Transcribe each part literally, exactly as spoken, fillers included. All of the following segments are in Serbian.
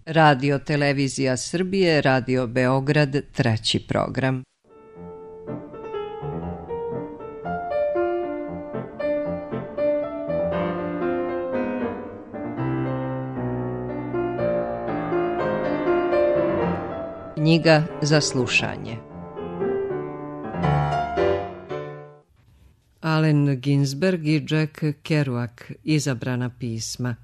Radio Televizija Srbije, Radio Beograd, treći program. Knjiga za slušanje. Allen Ginsberg i Jack Kerouac, izabrana pisma.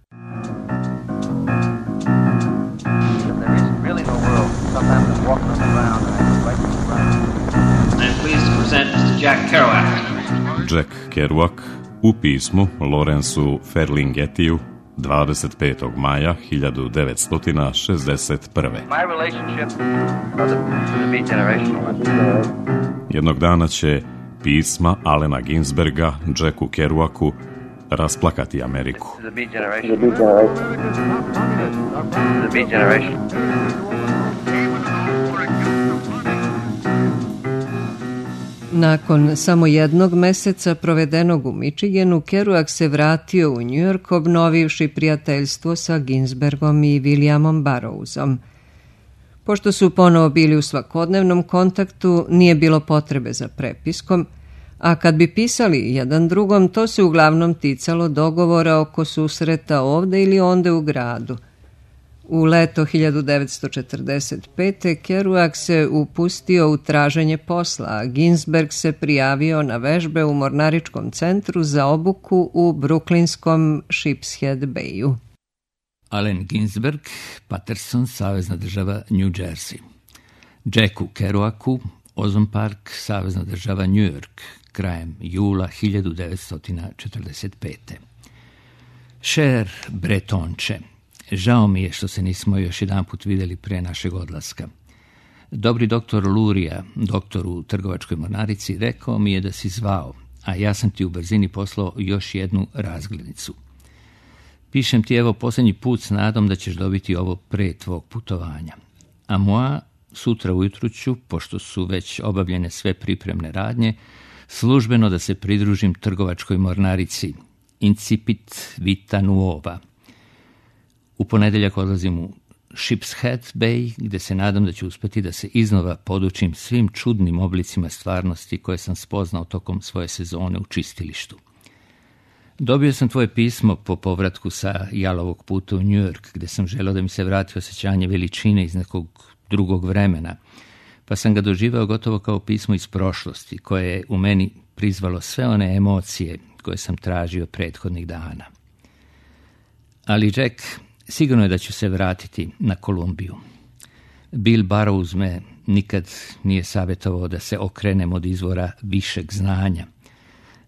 Jack Kerouac u pismu Lawrenceu Ferlinghettiju dvadeset petog maja hiljadu devetsto šezdeset prve. Jednog dana će pisma Allena Ginsberga Jacku Kerouacu rasplakati Ameriku. Nakon samo jednog meseca provedenog u Michiganu, Kerouac se vratio u New York obnovivši prijateljstvo sa Ginsbergom i Williamom Burroughsom. Pošto su ponovo bili u svakodnevnom kontaktu, nije bilo potrebe za prepiskom, a kad bi pisali jedan drugom, to se uglavnom ticalo dogovora oko susreta ovde ili onde u gradu. U leto hiljadu devetsto četrdeset pete. Kerouac se upustio u traženje posla, a Ginsberg se prijavio na vežbe u mornaričkom centru za obuku u bruklinskom Sheepshead Bayu. Allen Ginsberg, Patterson, savezna država New Jersey. Jacku Kerouacu, Ozone Park, savezna država New York, krajem jula hiljadu devetsto četrdeset pete. Cher Bretonče, žao mi je što se nismo još jedan put vidjeli pre našeg odlaska. Dobri doktor Luria, doktor u trgovačkoj mornarici, rekao mi je da si zvao, a ja sam ti u brzini poslao još jednu razglednicu. Pišem ti evo posljednji put s nadom da ćeš dobiti ovo pre tvog putovanja. A moja sutra ujutru ću, pošto su već obavljene sve pripremne radnje, službeno da se pridružim trgovačkoj mornarici Incipit Vita Nuova. U ponedjeljak odlazim u Sheepshead Bay, gdje se nadam da ću uspjeti da se iznova podučim svim čudnim oblicima stvarnosti koje sam spoznao tokom svoje sezone u čistilištu. Dobio sam tvoje pismo po povratku sa jalovog puta u New York, gdje sam želio da mi se vrati osjećanje veličine iz nekog drugog vremena, pa sam ga doživao gotovo kao pismo iz prošlosti, koje je u meni prizvalo sve one emocije koje sam tražio prethodnih dana. Ali Jack, sigurno je da ću se vratiti na Kolumbiju. Bill Burroughs me nikad nije savjetovao da se okrenem od izvora višeg znanja.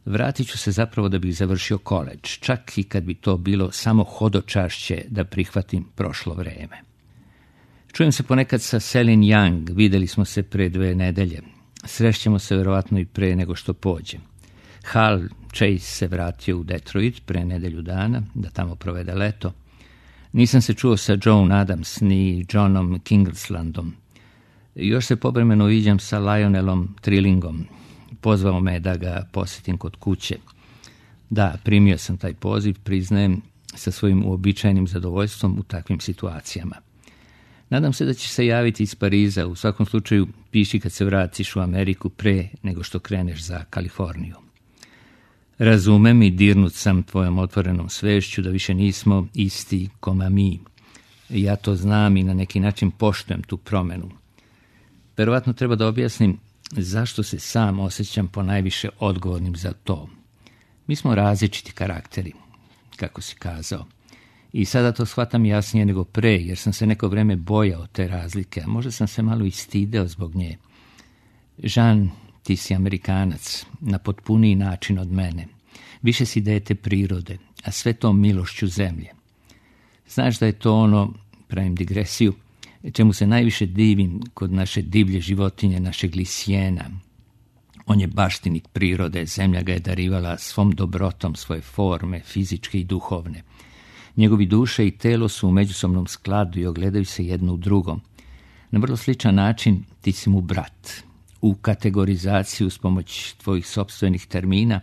Vratit ću se zapravo da bih završio koledž, čak i kad bi to bilo samo hodočašće da prihvatim prošlo vreme. Čujem se ponekad sa Celine Young, vidjeli smo se pre dve nedelje. Srešćemo se verovatno i pre nego što pođem. Hal Chase se vratio u Detroit pre nedelju dana, da tamo provede leto. Nisam se čuo sa Joan Adams ni Johnom Kingslandom. Još se povremeno viđam sa Lionelom Trillingom. Pozvao me da ga posjetim kod kuće. Da, primio sam taj poziv, priznajem, sa svojim uobičajenim zadovoljstvom u takvim situacijama. Nadam se da će se javiti iz Pariza. U svakom slučaju piši kad se vratiš u Ameriku pre nego što kreneš za Kaliforniju. Razumem i dirnut sam tvojom otvorenom svešću da više nismo isti koma mi. Ja to znam i na neki način poštujem tu promjenu. Verovatno treba da objasnim zašto se sam osjećam ponajviše odgovornim za to. Mi smo različiti karakteri, kako si kazao. I sada to shvatam jasnije nego pre, jer sam se neko vreme bojao te razlike, a možda sam se malo i stideo zbog nje. Jean, ti si Amerikanac, na potpuniji način od mene. Više si dete prirode, a sve to milošću zemlje. Znaš da je to ono, pravim digresiju, čemu se najviše divim kod naše divlje životinje, našeg lisijena. On je baštinik prirode, zemlja ga je darivala svom dobrotom svoje forme, fizičke i duhovne. Njegovi duše i telo su u međusobnom skladu i ogledaju se jedno u drugom. Na vrlo sličan način ti si mu brat. U kategorizaciju s pomoć tvojih sopstvenih termina,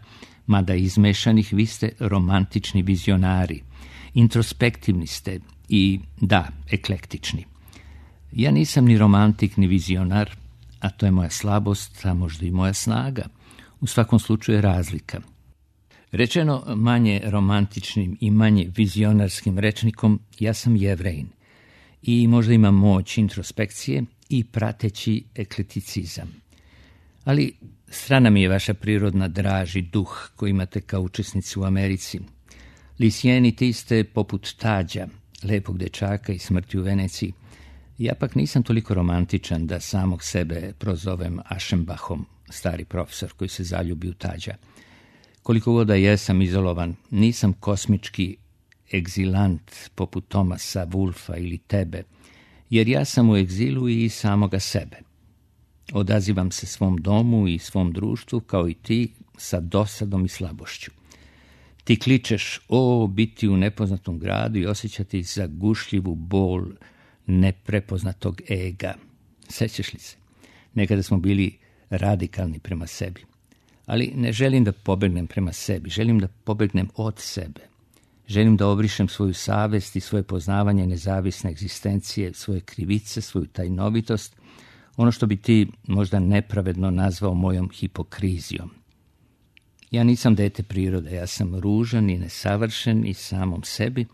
mada izmešanih, vi ste romantični vizionari. Introspektivni ste i, da, eklektični. Ja nisam ni romantik, ni vizionar, a to je moja slabost, a možda i moja snaga. U svakom slučaju je razlika. Rečeno manje romantičnim i manje vizionarskim rečnikom, ja sam Jevrejin i možda imam moć introspekcije i prateći ekleticizam. Ali strana mi je vaša prirodna draž i duh koji imate kao učesnici u Americi. Lisijeniti ste poput Tađa, lepog dečaka i smrti u Veneciji. Ja pak nisam toliko romantičan da samog sebe prozovem Aschenbachom, stari profesor koji se zaljubi u Tađa. Koliko god da jesam izolovan, nisam kosmički egzilant poput Thomasa Wolfa ili tebe, jer ja sam u egzilu i samoga sebe. Odazivam se svom domu i svom društvu kao i ti sa dosadom i slabošću. Ti kličeš o biti u nepoznatom gradu i osjećati zagušljivu bol neprepoznatog ega. Sećaš li se? Nekada smo bili radikalni prema sebi. Ali ne želim da pobegnem prema sebi, želim da pobegnem od sebe. Želim da obrišem svoju savest i svoje poznavanje nezavisne egzistencije, svoje krivice, svoju tajnovitost, ono što bi ti možda nepravedno nazvao mojom hipokrizijom. Ja nisam dete prirode, ja sam ružan i nesavršen i samom sebi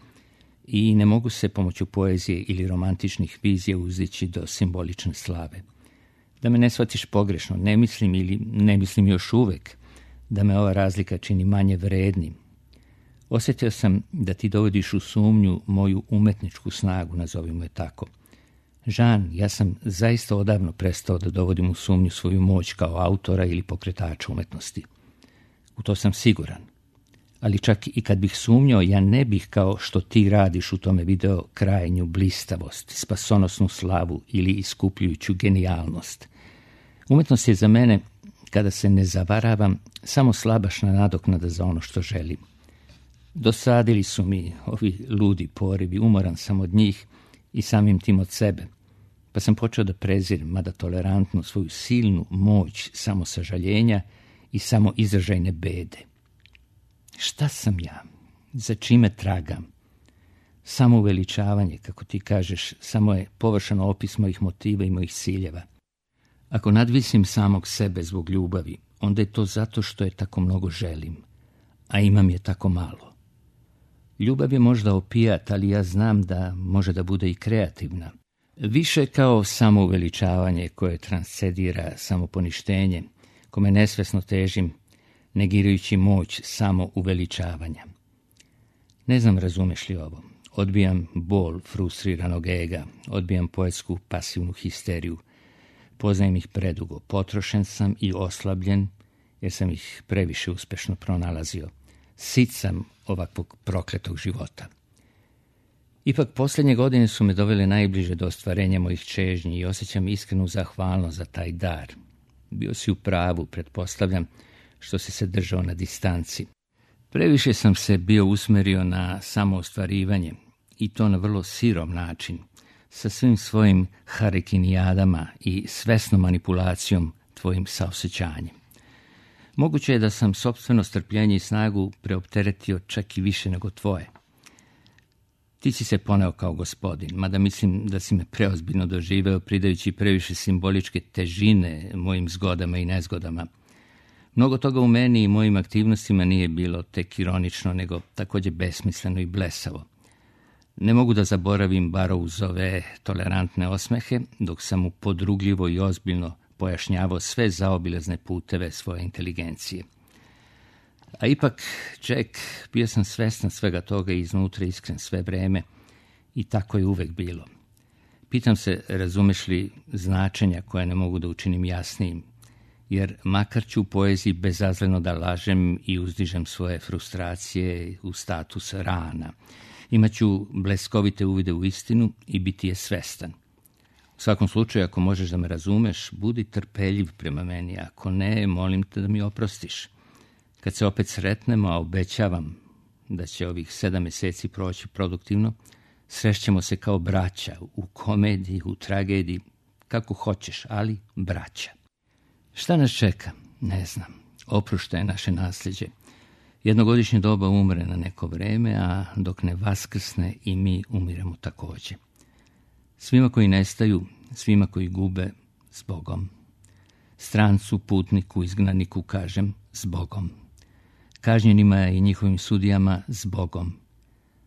i ne mogu se pomoću poezije ili romantičnih vizija uzdići do simbolične slave. Da me ne shvatiš pogrešno, ne mislim ili ne mislim još uvek da me ova razlika čini manje vrednim. Osjetio sam da ti dovodiš u sumnju moju umetničku snagu, nazovimo je tako. Žan, ja sam zaista odavno prestao da dovodim u sumnju svoju moć kao autora ili pokretača umetnosti. U to sam siguran. Ali čak i kad bih sumnjao, ja ne bih kao što ti radiš u tome video krajnju blistavost, spasonosnu slavu ili iskupljujuću genijalnost. Umetnost je za mene, kada se ne zavaravam, samo slabašna nadoknada za ono što želim. Dosadili su mi ovi ludi porivi, umoran sam od njih i samim tim od sebe, pa sam počeo da prezirem, mada tolerantno, svoju silnu moć samosažaljenja i samo izražajne bede. Šta sam ja? Za čime tragam? Samo uveličavanje, kako ti kažeš, samo je površan opis mojih motiva i mojih ciljeva. Ako nadvisim samog sebe zbog ljubavi, onda je to zato što je tako mnogo želim, a imam je tako malo. Ljubav je možda opijat, ali ja znam da može da bude i kreativna. Više kao samouveličavanje koje transcedira samoponištenje, kome nesvesno težim, negirajući moć samouveličavanja. Ne znam razumeš li ovo. Odbijam bol frustriranog ega, odbijam poetsku pasivnu histeriju. Poznajem ih predugo, potrošen sam i oslabljen, jer sam ih previše uspešno pronalazio. Sit sam ovakvog prokletog života. Ipak posljednje godine su me dovele najbliže do ostvarenja mojih čežnji i osjećam iskrenu zahvalnost za taj dar. Bio si u pravu, pretpostavljam, što si se držao na distanci. Previše sam se bio usmerio na samoostvarivanje i to na vrlo sirom način, sa svim svojim harikinijadama i svesnom manipulacijom tvojim saosjećanjem. Moguće je da sam sopstveno strpljenje i snagu preopteretio čak i više nego tvoje. Ti si se poneo kao gospodin, mada mislim da si me preozbiljno doživeo, pridajući previše simboličke težine mojim zgodama i nezgodama. Mnogo toga u meni i mojim aktivnostima nije bilo tek ironično, nego također besmisleno i blesavo. Ne mogu da zaboravim Barrouzove tolerantne osmehe, dok sam mu podrugljivo i ozbiljno pojašnjavao sve zaobilazne puteve svoje inteligencije. A ipak, Jack, bio sam svestan svega toga i iznutra iskren sve vreme i tako je uvek bilo. Pitam se, razumeš li značenja koje ne mogu da učinim jasnijim, jer makar ću u poeziji bezazleno da lažem i uzdižem svoje frustracije u status rana. Imaću bleskovite uvide u istinu i biti je svestan. U svakom slučaju, ako možeš da me razumeš, budi trpeljiv prema meni, ako ne, molim te da mi oprostiš. Kad se opet sretnemo, a obećavam da će ovih sedam mjeseci proći produktivno, srećemo se kao braća, u komediji, u tragediji, kako hoćeš, ali braća. Šta nas čeka? Ne znam. Oproštaj je naše nasljeđe. Jednogodišnje doba umre na neko vreme, a dok ne vaskrsne i mi umiremo također. Svima koji nestaju, svima koji gube, s Bogom. Strancu, putniku, izgnaniku kažem, s Bogom. Kažnjenima i njihovim sudijama, s Bogom.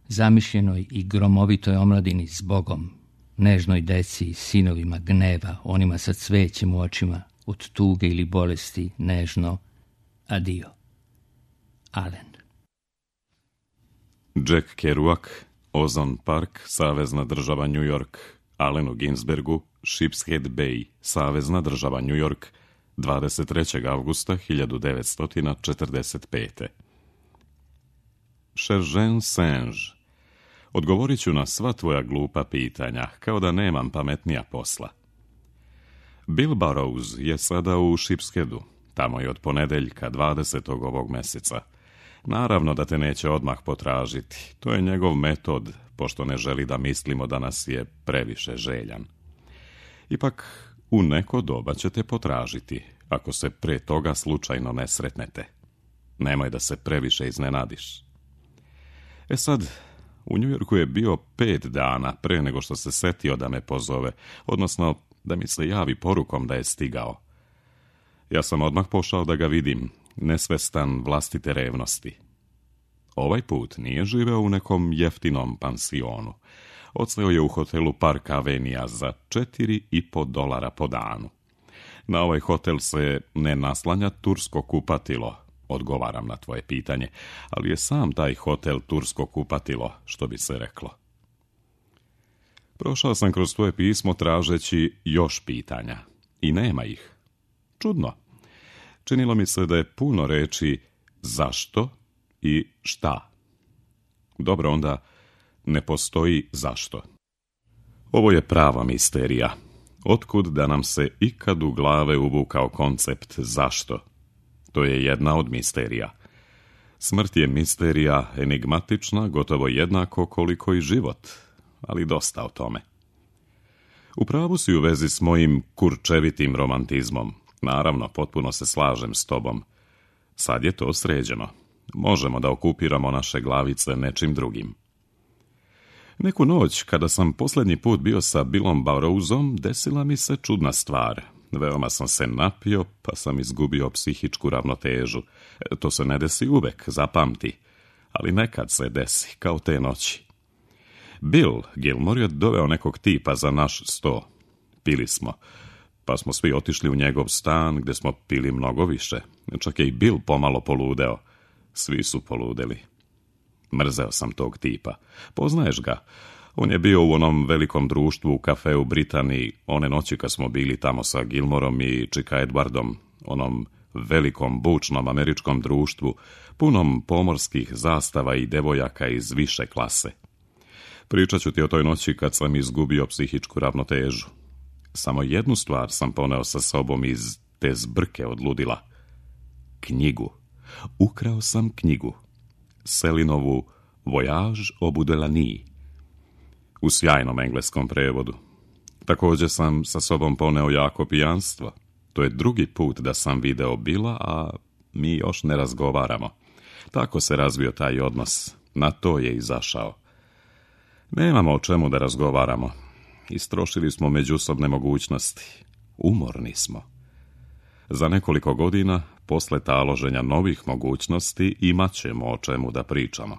Zamišljenoj i gromovitoj omladini, s Bogom. Nežnoj deci, sinovima gneva, onima sa cvećem u očima, od tuge ili bolesti, nežno, adio. Alen. Jack Kerouac, Ozone Park, Savezna država New York, Allenu Ginsbergu, Sheepshead Bay, Savezna država New York, dvadeset trećeg avgusta hiljadu devetsto četrdeset pete. Šeržen Senž, odgovorit ću na sva tvoja glupa pitanja, kao da nemam pametnija posla. Bill Burroughs je sada u Sheepsheadu, tamo je od ponedeljka dvadesetog ovog meseca. Naravno da te neće odmah potražiti, to je njegov metod, pošto ne želi da mislimo da nas je previše željan. Ipak, u neko doba će te potražiti, ako se pre toga slučajno ne sretnete. Nemoj da se previše iznenadiš. E sad, u New Yorku je bio pet dana pre nego što se setio da me pozove, odnosno da mi se javi porukom da je stigao. Ja sam odmah pošao da ga vidim, nesvestan vlastite revnosti. Ovaj put nije živeo u nekom jeftinom pansionu. Odseo je u hotelu Park Avenija za četiri i po dolara po danu. Na ovaj hotel se ne naslanja tursko kupatilo, odgovaram na tvoje pitanje, ali je sam taj hotel tursko kupatilo, što bi se reklo. Prošao sam kroz tvoje pismo tražeći još pitanja. I nema ih. Čudno. Činilo mi se da je puno reči zašto i šta. Dobro, onda ne postoji zašto. Ovo je prava misterija. Otkud da nam se ikad u glave uvukao koncept zašto? To je jedna od misterija. Smrt je misterija enigmatična, gotovo jednako koliko i život, ali dosta o tome. U pravu si u vezi s mojim kurčevitim romantizmom. Naravno, potpuno se slažem s tobom. Sad je to sređeno. Možemo da okupiramo naše glavice nečim drugim. Neku noć, kada sam posljednji put bio sa Billom Burroughsom, desila mi se čudna stvar. Veoma sam se napio, pa sam izgubio psihičku ravnotežu. To se ne desi uvek, zapamti. Ali nekad se desi, kao te noći. Bill Gilmore je doveo nekog tipa za naš sto. Pili smo, pa smo svi otišli u njegov stan, gde smo pili mnogo više. Čak je i Bill pomalo poludeo. Svi su poludeli. Mrzeo sam tog tipa. Poznaješ ga? On je bio u onom velikom društvu u kafeu Britaniji, one noći kad smo bili tamo sa Gilmorom i Čika Edwardom, onom velikom bučnom američkom društvu, punom pomorskih zastava i devojaka iz više klase. Pričat ću ti o toj noći kad sam izgubio psihičku ravnotežu. Samo jednu stvar sam poneo sa sobom iz te zbrke od ludila. Knjigu. Ukrao sam knjigu. Selinovu Voyage au bout de la nuit. U sjajnom engleskom prevodu. Također sam sa sobom poneo jako pijanstvo. To je drugi put da sam video Billa, a mi još ne razgovaramo. Tako se razvio taj odnos. Na to je izašao. Nemamo o čemu da razgovaramo. Istrošili smo međusobne mogućnosti. Umorni smo. Za nekoliko godina, posle taloženja novih mogućnosti, imat ćemo o čemu da pričamo.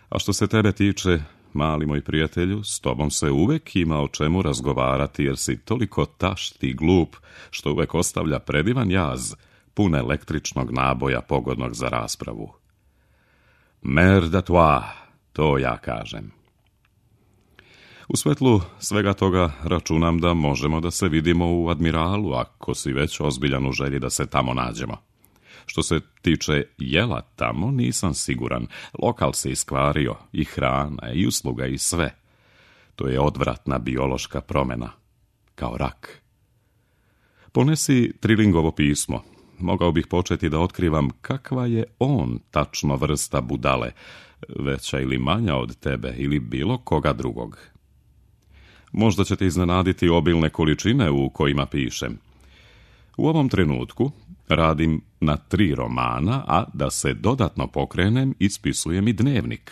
A što se tebe tiče, mali moj prijatelju, s tobom se uvek ima o čemu razgovarati, jer si toliko tašt i glup, što uvek ostavlja predivan jaz, pun električnog naboja pogodnog za raspravu. Mère de toi, to ja kažem. U svetlu svega toga računam da možemo da se vidimo u Admiralu, ako si već ozbiljan u želji da se tamo nađemo. Što se tiče jela tamo, nisam siguran. Lokal se iskvario, i hrana, i usluga, i sve. To je odvratna biološka promjena. Kao rak. Ponesi Trillingovo pismo. Mogao bih početi da otkrivam kakva je on tačno vrsta budale, veća ili manja od tebe ili bilo koga drugog. Možda će te iznenaditi obilne količine u kojima pišem. U ovom trenutku Radim na tri romana, a da se dodatno pokrenem, ispisujem i dnevnik.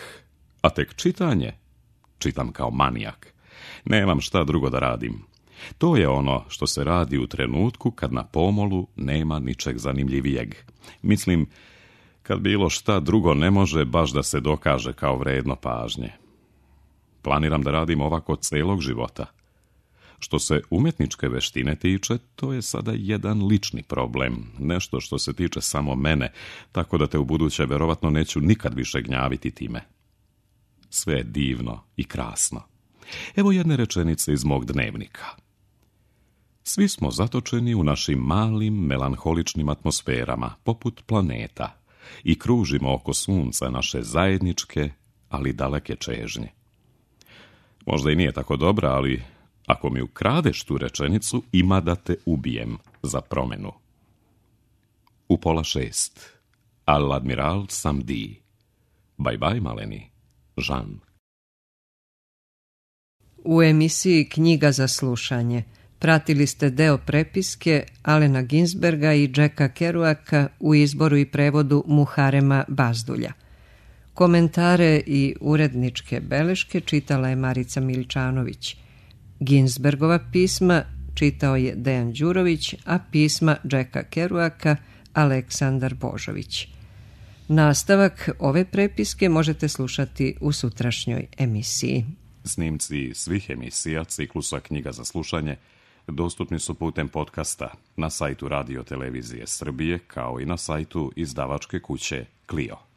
A tek čitanje? Čitam kao manijak. Nemam šta drugo da radim. To je ono što se radi u trenutku kad na pomolu nema ničeg zanimljivijeg. Mislim, kad bilo šta drugo ne može baš da se dokaže kao vredno pažnje. Planiram da radim ovako celog života. Što se umjetničke veštine tiče, to je sada jedan lični problem, nešto što se tiče samo mene, tako da te u buduće verovatno neću nikad više gnjaviti time. Sve je divno i krasno. Evo jedne rečenice iz mog dnevnika. Svi smo zatočeni u našim malim, melanholičnim atmosferama, poput planeta, i kružimo oko sunca naše zajedničke, ali daleke čežnje. Možda i nije tako dobra, ali ako mi ukradeš tu rečenicu, ima da te ubijem za promenu. U pola šest. Al admiral samedi. Bye bye, maleni. Jean. U emisiji Knjiga za slušanje pratili ste deo prepiske Alena Ginsberga i Jacka Kerouaka u izboru i prevodu Muharema Bazdulja. Komentare i uredničke beleške čitala je Marica Miličanović. Ginsbergova pisma čitao je Dejan Đurović, a pisma Jacka Kerouaka Aleksandar Božović. Nastavak ove prepiske možete slušati u sutrašnjoj emisiji. Snimci svih emisija ciklusa Knjiga za slušanje dostupni su putem podcasta na sajtu Radio Televizije Srbije, kao i na sajtu izdavačke kuće Clio.